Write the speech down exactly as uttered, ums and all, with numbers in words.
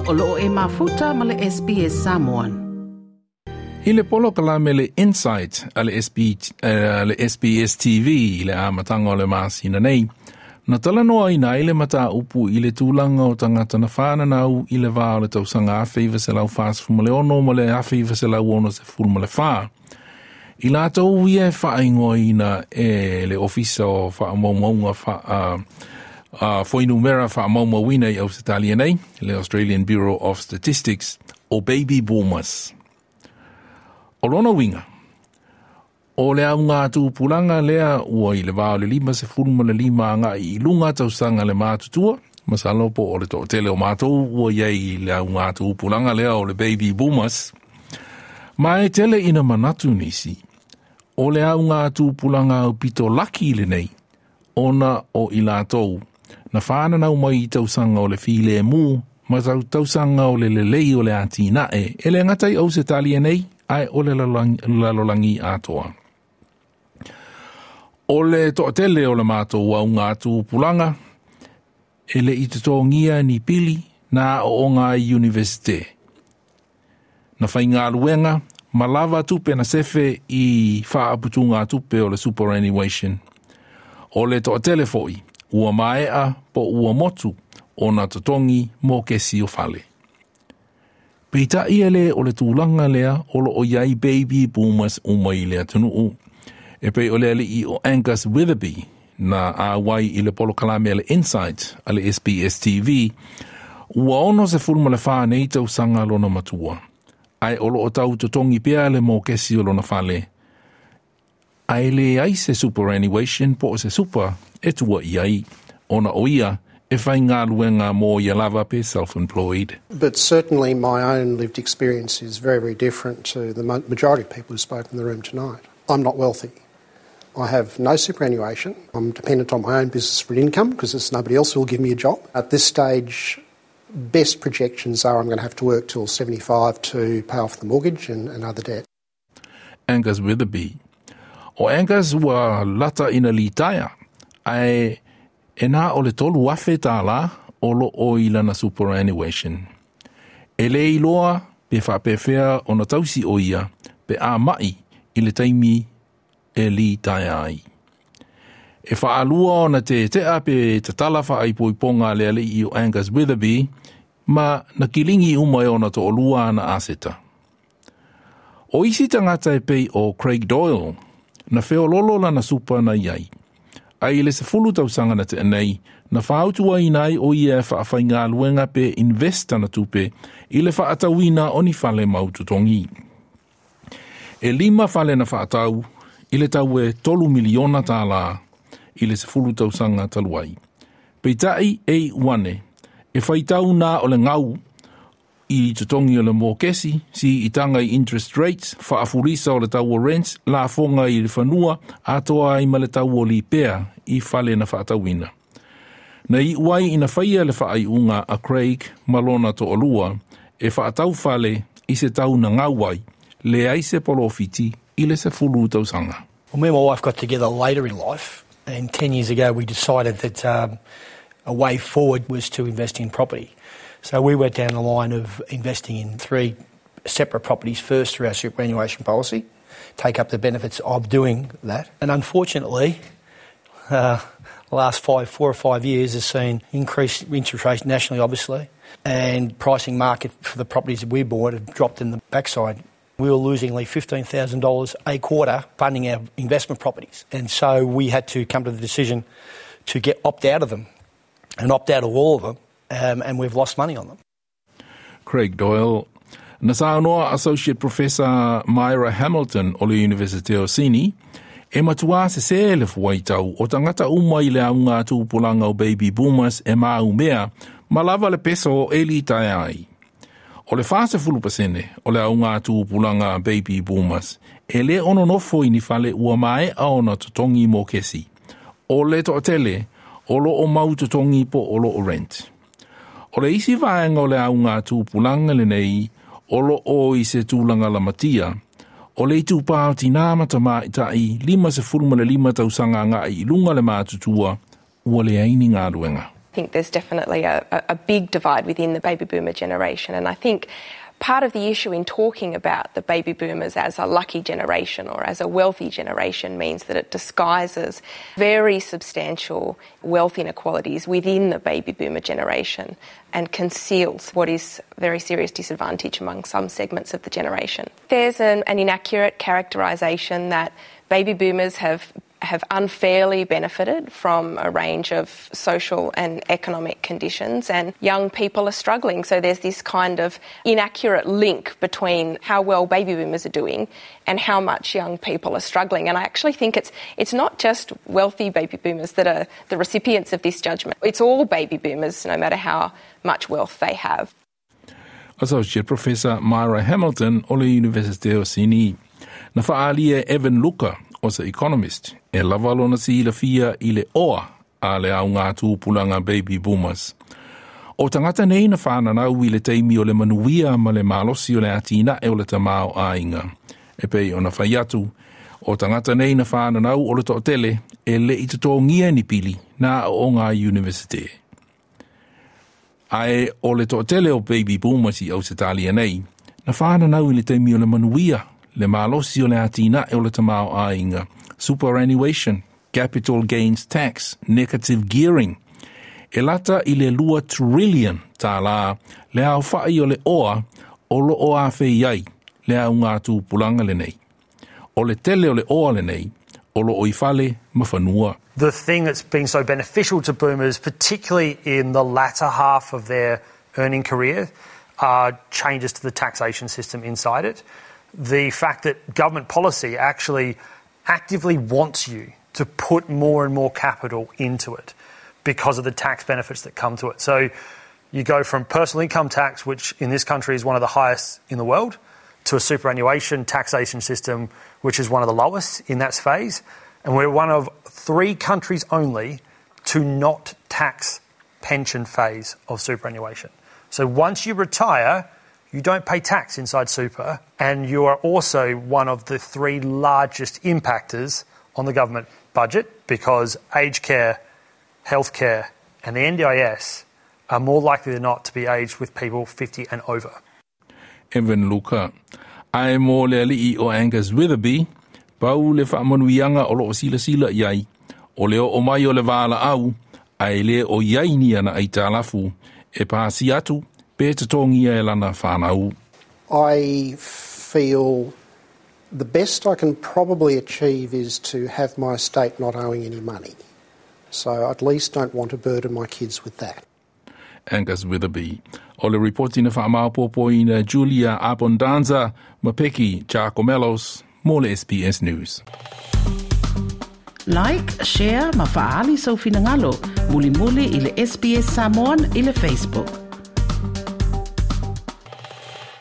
O loo e mafuta ma le S B S Samoan. I le polokalame le Insight a le, S B, uh, le S B S T V i le amataga o le masina nei, na talanoaina ai le mataupu i le tulaga o tagata na fananau i le va o le tausaga afe iva selau fasefulu ma le ono ma le afe iva selau ono sefulu ma le fa. I latou ia e faaigoaina e le Ofisa o Faamaumauga fa, uh, uh, Fuainumera Faamaumauina i Ausetalia nei, le Australian Bureau of Statistics, o baby boomers. O lona uiga, o le auga tupulaga lea ua i le va o le lima sefulu ma le lima agai i luga tausaga le matutua, masalo po o le toatele o matou ua i ai i le auga tupulaga lea o le baby boomers. Ma e tele ina manatu nisi, o le auga tupulaga aupito laki lenei, ona o i latou, na fananau mai i tausaga o le filemu, ma tau tausaga o le lelei o le atinae, e le gata i Ausetalia nei, ae o le lalolagi atoa. O le toatele o le matou auga tupulaga, e le i totogia ni pili na aooga ai i universite. Na faigaluega ma lava tupe na sefe i faaputuga tupe o le superannuation. O le toatele foi, ua maea po ua motu ona totogi mokesi o fale. Peitai e le o le tulaga lea o loo i ai baby boomers uma i le atunuu. E pei o le alii o Angus Witherby na auai i le polokalame a le Insight a le S B S T V, ua ono sefulu ma le fa nei tausaga lona matua. Ae o loo tau totogi pea le mokesi o lona fale. Ae leai se superannuation po o se super e tua i ai, ona o ia e faigaluega mo ia lava pe self-employed. But certainly my own lived experience is very, very different to the majority of people who spoke in the room tonight. I'm not wealthy. I have no superannuation. I'm dependent on my own business for an income because there's nobody else who will give me a job. At this stage, best projections are I'm going to have to work till seventy-five to pay off the mortgage and, and other debt. Angus Witherby. O Angus ua lata ina litaea, ae e na o le tolu afe tālā o lo o i lana superannuation. E le iloa pe faapefea ona tausi o ia pe a mai i le taimi e litaea ai. E whaalua ona te tea pe tatala whaaipoiponga le alii o Angus Witherby ma na kilingi uma e ona to'olua ana aseta. O isi tagata e pei o Craig Doyle, na feololo lana super na iai. Ae i le sefulu tausaga na tea nei, na fautuaina ai o ia e faafaigaluega pe invest ana tupe i le faatauina o ni fale mau totogi. E lima fale na faatau i le tau e tolu miliona tālā i le sefulu tausaga talu ai. Peitai e iu ane, e faitau na o le gau i totogi o le mokesi, siitaga i interest rates, faafulisa o le tau o rents, lafoga i le fanua, atoa ai ma le tau o lipea i fale na faatauina. Na iu ai ina faia le faaiuga a Craig ma lona toalua e faatau fale i se tau na gau ai, leai se polofiti i le sefulu tausaga. Well, me and my wife got together later in life, and ten years ago we decided that um, a way forward was to invest in property. So we went down the line of investing in three separate properties first through our superannuation policy, take up the benefits of doing that. And unfortunately, uh, the last five, four or five years has seen increased interest rates nationally, obviously, and pricing market for the properties that we bought have dropped in the backside. We were losing like fifteen thousand dollars a quarter funding our investment properties. And so we had to come to the decision to get opt out of them and opt out of all of them, um, and we've lost money on them. Craig Doyle. Na saunoa Associate Professor Myra Hamilton o le University o Sydney, e matuā sesē le fuaitau o tagata uma i le auga tupulaga o baby boomers e maumea ma lava le peso e litaea ai. O le fasefulu pasene o le auga tupulaga baby boomers e le ono nofo i ni fale ua maea ona totogi mokesi. O le toatele o lo o mau totogi po o lo o rent. O le isi vaega o le auga tupulaga lenei o lo o i se tulaga lamatia, o le itupa o tinā ma tamaitai lima sefulu ma le lima tausaga agai i luga le matutua, ua leai ni galuega. I think there's definitely a, a big divide within the baby boomer generation, and I think part of the issue in talking about the baby boomers as a lucky generation or as a wealthy generation means that it disguises very substantial wealth inequalities within the baby boomer generation and conceals what is very serious disadvantage among some segments of the generation. There's an, an inaccurate characterisation that baby boomers have have unfairly benefited from a range of social and economic conditions, and young people are struggling. So there's this kind of inaccurate link between how well baby boomers are doing and how much young people are struggling. And I actually think it's it's not just wealthy baby boomers that are the recipients of this judgment. It's all baby boomers, no matter how much wealth they have. Associate Professor Myra Hamilton o le University o Sydney. Na whaalia Evan Luka o se Economist e lava lona silafia i le oa a le au ngā tūpulanga baby boomers. O tangata nei na whananau i le teimi o le manuia ma le malosi o le atina e o le tamao ainga. E pei o na whai atu, o tangata nei na whananau o le to'atele e le i totongia ni pili na o ngā university. Ae o le to'atele o baby boomers i Ausetalia nei, na whananau i le teimi o le manuia le malosi o le atina e o le tamao ainga, superannuation, capital gains tax, negative gearing. E lata i le lua trillion tā le au whai o le oa o lo o a whei ai le au ngā tūpulanga le nei. O le tele o le oa le nei, o lo o i whale ma whanua. The thing that's been so beneficial to boomers, particularly in the latter half of their earning career, are changes to the taxation system inside it. The fact that government policy actually actively wants you to put more and more capital into it because of the tax benefits that come to it. So you go from personal income tax, which in this country is one of the highest in the world, to a superannuation taxation system, which is one of the lowest in that phase. And we're one of three countries only to not tax pension phase of superannuation. So once you retire, you don't pay tax inside super, and you are also one of the three largest impactors on the government budget because aged care, healthcare and the N D I S are more likely than not to be aged with people fifty and over. Evan Luka. Ae mō le ali'i o Angus Witherby, pau le whaamanuianga o loo sila sila iai, o le o mai o le wāla au, ae le o iai ni ana ai tālafu, e pāsi atu, pe te tongia e lana whanau. I feel the best I can probably achieve is to have my estate not owing any money. So I at least don't want to burden my kids with that. Angus Witherby. O le reporti na whaamaupopo ina Julia Abondanza, Mapeki Giacomellos, mō le S B S News. Like, share, ma faali sau finangalo, muli muli i le S B S Samoan i le Facebook.